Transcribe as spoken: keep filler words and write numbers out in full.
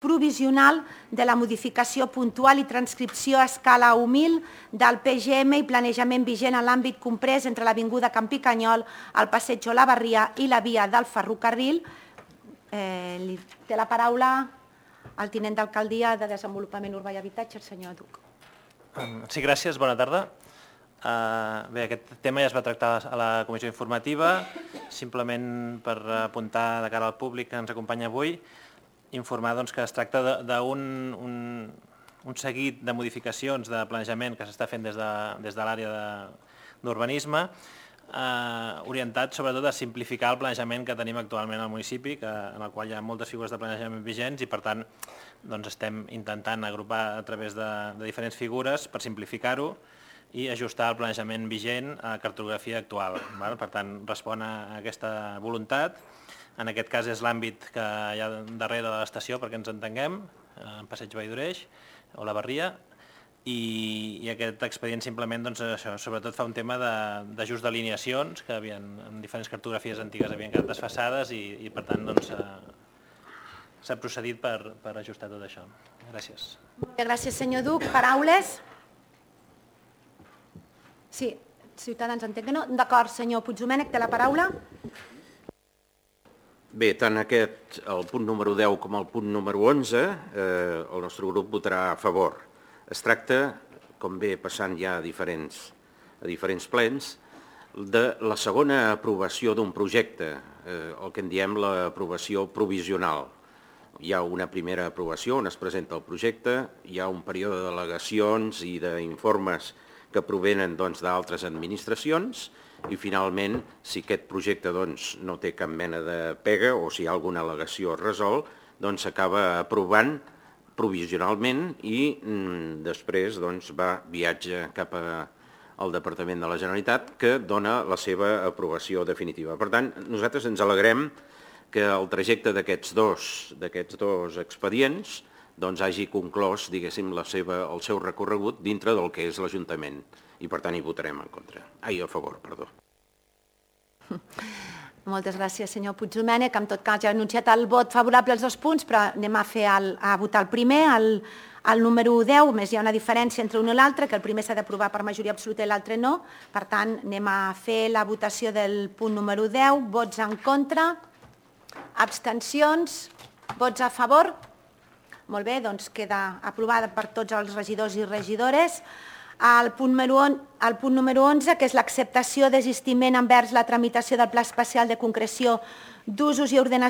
provisional de la modificació puntual i transcripció a escala humil del P G M i planejament vigent en l'àmbit comprès entre l'Avinguda Camp Picanyol, el Passeig Olavarria i la via del ferrocarril. Té la paraula el tinent d'alcaldia de Desenvolupament Urbà i Habitatge, el senyor Duc. Sí, gràcies. Bona tarda. Bé, aquest tema ja es va tractar a la comissió informativa. Simplement per apuntar de cara al públic que ens acompanya avui, informar que es tracta d'un seguit de modificacions de planejament que s'està fent des de l'àrea d'urbanisme, orientat sobretot a simplificar el planejament que tenim actualment al municipi, en el qual hi ha moltes figures de planejament vigents i, per tant, estem intentant agrupar a través de diferents figures per simplificar-ho i ajustar el planejament vigent a la cartografia actual. Per tant, respon a aquesta voluntat. En aquest cas és l'àmbit que hi ha darrere de l'estació, perquè ens entenguem, en Passeig Vallvidreix, Olavarria, i aquest expedient simplement sobretot fa un tema d'ajust d'alineacions que en diferents cartografies antigues havien quedat desfasades i per tant s'ha procedit per ajustar tot això. Gràcies. Gràcies, senyor Duc. Paraules? Sí, Ciutadans entenc que no. D'acord, senyor Puigdomènech, té la paraula. Bé, tant aquest, el punt número deu com el punt número onze, el nostre grup votarà a favor. Es tracta, com ve passant ja a diferents plens, de la segona aprovació d'un projecte, el que en diem l'aprovació provisional. Hi ha una primera aprovació on es presenta el projecte, hi ha un període d'al·legacions i d'informes que provenen d'altres administracions i finalment, si aquest projecte no té cap mena de pega o si hi ha alguna al·legació es resol, doncs s'acaba aprovant provisionalment i després va viatge cap al Departament de la Generalitat que dona la seva aprovació definitiva. Per tant, nosaltres ens alegrem que el trajecte d'aquests dos expedients hagi conclòs, diguéssim, el seu recorregut dintre del que és l'Ajuntament i per tant hi votarem en contra. Ai, a favor, perdó. Moltes gràcies, senyor Puigdomènech. En tot cas, ja he anunciat el vot favorable als dos punts, però anem a votar el primer, el número deu, més hi ha una diferència entre un i l'altre, que el primer s'ha d'aprovar per majoria absoluta i l'altre no. Per tant, anem a fer la votació del punt número deu. Vots en contra? Abstencions? Vots a favor? Molt bé, doncs queda aprovada per tots els regidors i regidores. El punt número onze, que és l'acceptació desistiment envers la tramitació del Pla Especial de Concreció d'Usos i Ordenació